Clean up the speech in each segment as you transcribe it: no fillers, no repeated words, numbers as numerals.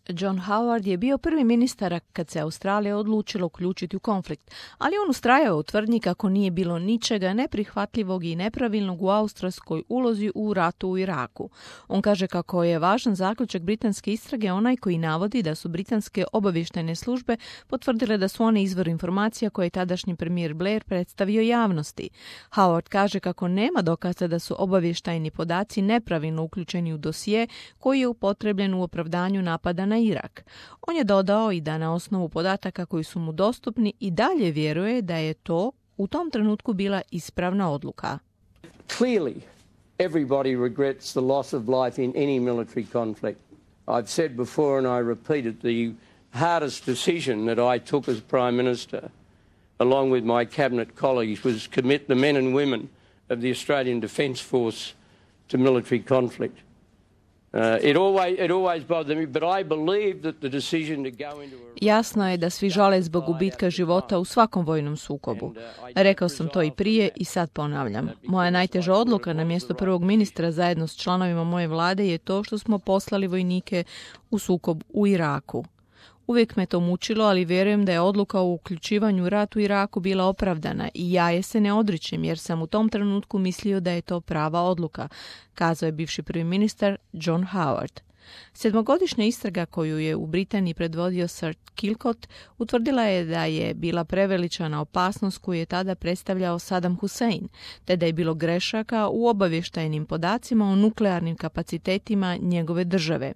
John Howard je bio prvi ministar kad se Australija odlučila uključiti u konflikt, ali on ustrajao u tvrdnji kako nije bilo ničega neprihvatljivog i nepravilnog u australskoj ulozi u ratu u Iraku. On kaže kako je važan zaključak britanske istrage onaj koji navodi da su britanske obavještajne službe potvrdile da su one izvor informacija koje je tadašnji premijer Blair predstavio javnosti. Howard kaže kako nema dokaza da su obavještajni podaci nepravilno uključeni u dosije koji je upotrebljen u opravdanju napada na Irak. On je dodao i da na osnovu podataka koji su mu dostupni i dalje vjeruje da je to u tom trenutku bila ispravna odluka. Clearly, everybody regrets the loss of life in any military conflict. I've said before and I repeat it, the hardest decision that I took as Prime Minister, along with my cabinet colleagues, was commit the men and women of the Australian Defence Force to military conflict. It always bothered me, but I believe that the decision to go into a... Jasno je da svi žale zbog gubitka života u svakom vojnom sukobu. Rekao sam to i prije i sad ponavljam. Moja najteža odluka na mjesto prvog ministra zajedno s članovima moje vlade je to što smo poslali vojnike u sukob u Iraku. Uvijek me to mučilo, ali vjerujem da je odluka o uključivanju u rat u Iraku bila opravdana i ja je se ne odričem jer sam u tom trenutku mislio da je to prava odluka, kazao je bivši prvi ministar John Howard. 7-godišnja istraga koju je u Britaniji predvodio Sir Kilcott utvrdila je da je bila preveličana opasnost koju je tada predstavljao Saddam Hussein, te da je bilo grešaka u obavještajnim podacima o nuklearnim kapacitetima njegove države.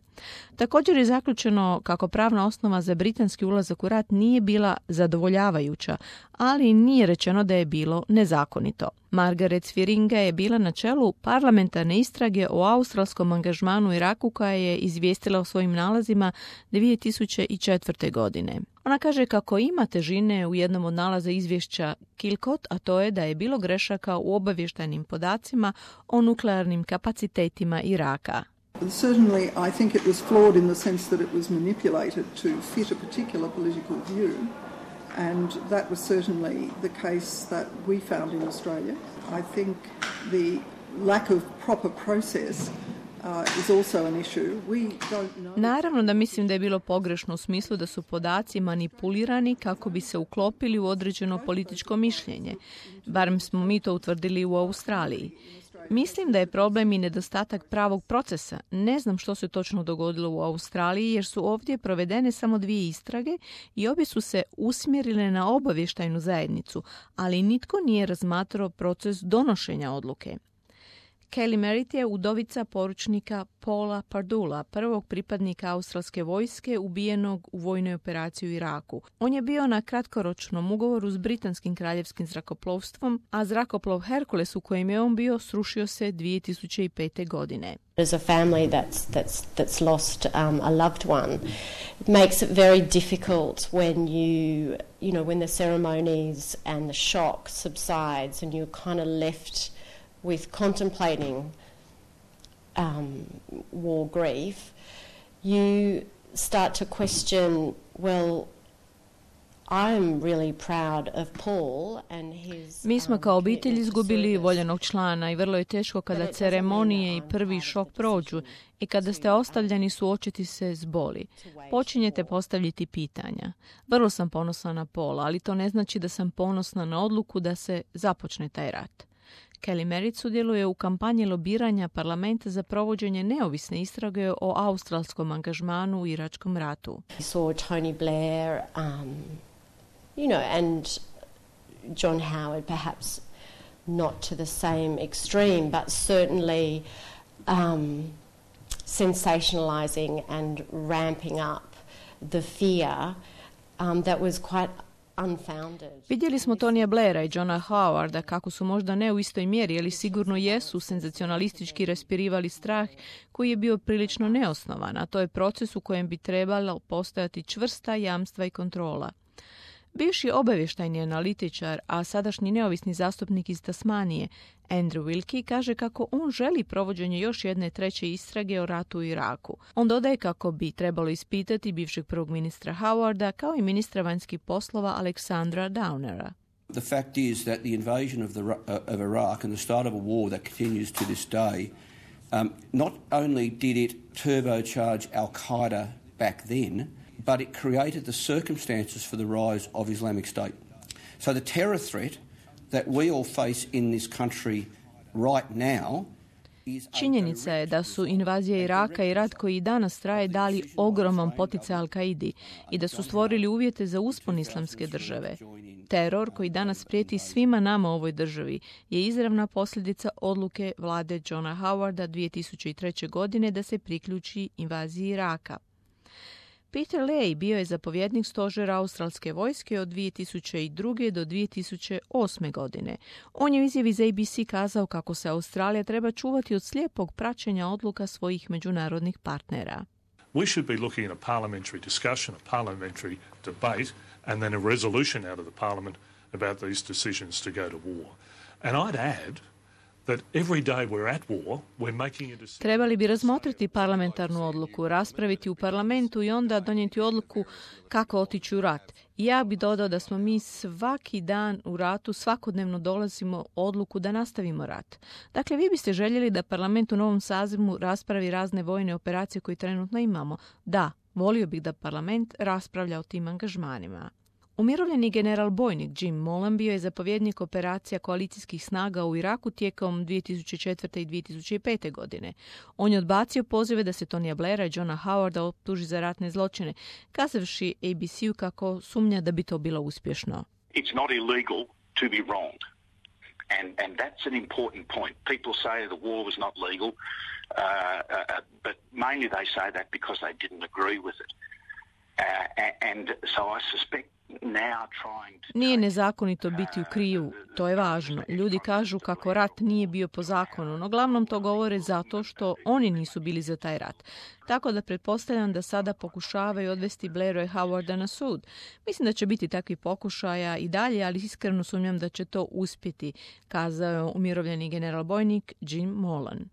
Također je zaključeno kako pravna osnova za britanski ulazak u rat nije bila zadovoljavajuća, ali nije rečeno da je bilo nezakonito. Margaret Swieringa je bila na čelu parlamentarne istrage o australskom angažmanu u Iraku koja je izvijestila o svojim nalazima 2004. godine. Ona kaže kako ima težine u jednom od nalaza izvješća Kilcott, a to je da je bilo grešaka u obavještajnim podacima o nuklearnim kapacitetima Iraka. Certainly, I think it was flawed in the sense that it was manipulated to fit a particular political view, and that was certainly the case that we found in Australia. I think the lack of proper process is also an issue. We don't know. Naravno da mislim da je bilo pogrešno u smislu da su podaci manipulirani kako bi se uklopili u određeno političko mišljenje. Barem smo mi to utvrdili u Australiji. Mislim da je problem i nedostatak pravog procesa. Ne znam što se točno dogodilo u Australiji jer su ovdje provedene samo 2 istrage i obje su se usmjerile na obavještajnu zajednicu, ali nitko nije razmatrao proces donošenja odluke. Kelly Merritt je udovica poručnika Paula Pardula, prvog pripadnika australske vojske ubijenog u vojnoj operaciji u Iraku. On je bio na kratkoročnom ugovoru s britanskim kraljevskim zrakoplovstvom, a zrakoplov Hercules u kojem je on bio srušio se 2005. godine. As a family that's lost a loved one, it makes it very difficult when when the ceremonies and the shock subsides and you're kind of left with contemplating war grief, you start to question, well, I'm really proud of Paul and his... Mi smo kao obitelj izgubili voljenog člana i vrlo je teško kada ceremonije i prvi šok prođu i kada ste ostavljeni suočiti se s boli. Počinjete postavljati pitanja. Vrlo sam ponosna na Paula, ali to ne znači da sam ponosna na odluku da se započne taj rat. Kelly Merritt sudjeluje u kampanji lobiranja parlamenta za provođenje neovisne istrage o australskom angažmanu u iračkom ratu. We saw Tony Blair, and John Howard, perhaps not to the same extreme, but certainly sensationalizing and ramping up the fear that was quite unfounded. Vidjeli smo Tonija Blaira i Johna Howarda kako su možda ne u istoj mjeri, ali sigurno jesu senzacionalistički raspirivali strah koji je bio prilično neosnovan, a to je proces u kojem bi trebalo postojati čvrsta jamstva i kontrola. Bivši obavještajni analitičar, a sadašnji neovisni zastupnik iz Tasmanije, Andrew Wilkie, kaže kako on želi provođenje još jedne treće istrage o ratu u Iraku. On dodaje kako bi trebalo ispitati bivšeg prvog ministra Howarda kao i ministra vanjskih poslova Aleksandra Downera. The fact is that the invasion of Iraq and the start of a war that continues to this day, not only did it turbocharge Al-Qaeda back then, but it created the circumstances for the rise of Islamic State. So the terror threat that we all face in this country right now. Činjenica je da su invazija Iraka i rat koji i danas traje dali ogroman poticaj Al-Kaidi i da su stvorili uvjete za uspon islamske države. Teror koji danas prijeti svima nama u ovoj državi je izravna posljedica odluke vlade Johna Howarda 2003. godine da se priključi invaziji Iraka. Peter Leahy bio je zapovjednik stožera australske vojske od 2002. do 2008. godine. On je u izjavi za ABC kazao kako se Australija treba čuvati od slijepog praćenja odluka svojih međunarodnih partnera. We should be looking at a parliamentary discussion, a parliamentary debate, and then a resolution out of the parliament about these decisions to go to war. And I'd add that every day we're at war, we're making a decision. Trebali bi razmotriti parlamentarnu odluku, raspraviti u parlamentu i onda donijeti odluku kako otići u rat. I ja bi dodao da smo mi svaki dan u ratu, svakodnevno dolazimo odluku da nastavimo rat. Dakle, vi biste željeli da parlament u novom sazivu raspravi razne vojne operacije koje trenutno imamo? Da, volio bih da parlament raspravlja o tim angažmanima. Umirovljeni general bojnik Jim Molan bio je zapovjednik operacija koalicijskih snaga u Iraku tijekom 2004. i 2005. godine. On je odbacio pozive da se Tonija Blaira i Johna Howarda optuži za ratne zločine, kazavši ABC-u kako sumnja da bi to bilo uspješno. It's not illegal to be wronged. And that's an important point. People say the war was not legal, but mainly they say that because they didn't agree with it. And so I suspect Nije nezakonito biti u krivu, to je važno. Ljudi kažu kako rat nije bio po zakonu, no glavnom to govore zato što oni nisu bili za taj rat. Tako da pretpostavljam da sada pokušavaju odvesti Blaira i Howarda na sud. Mislim da će biti takvi pokušaja i dalje, ali iskreno sumnjam da će to uspjeti, kazao je umirovljeni general bojnik Jim Molan.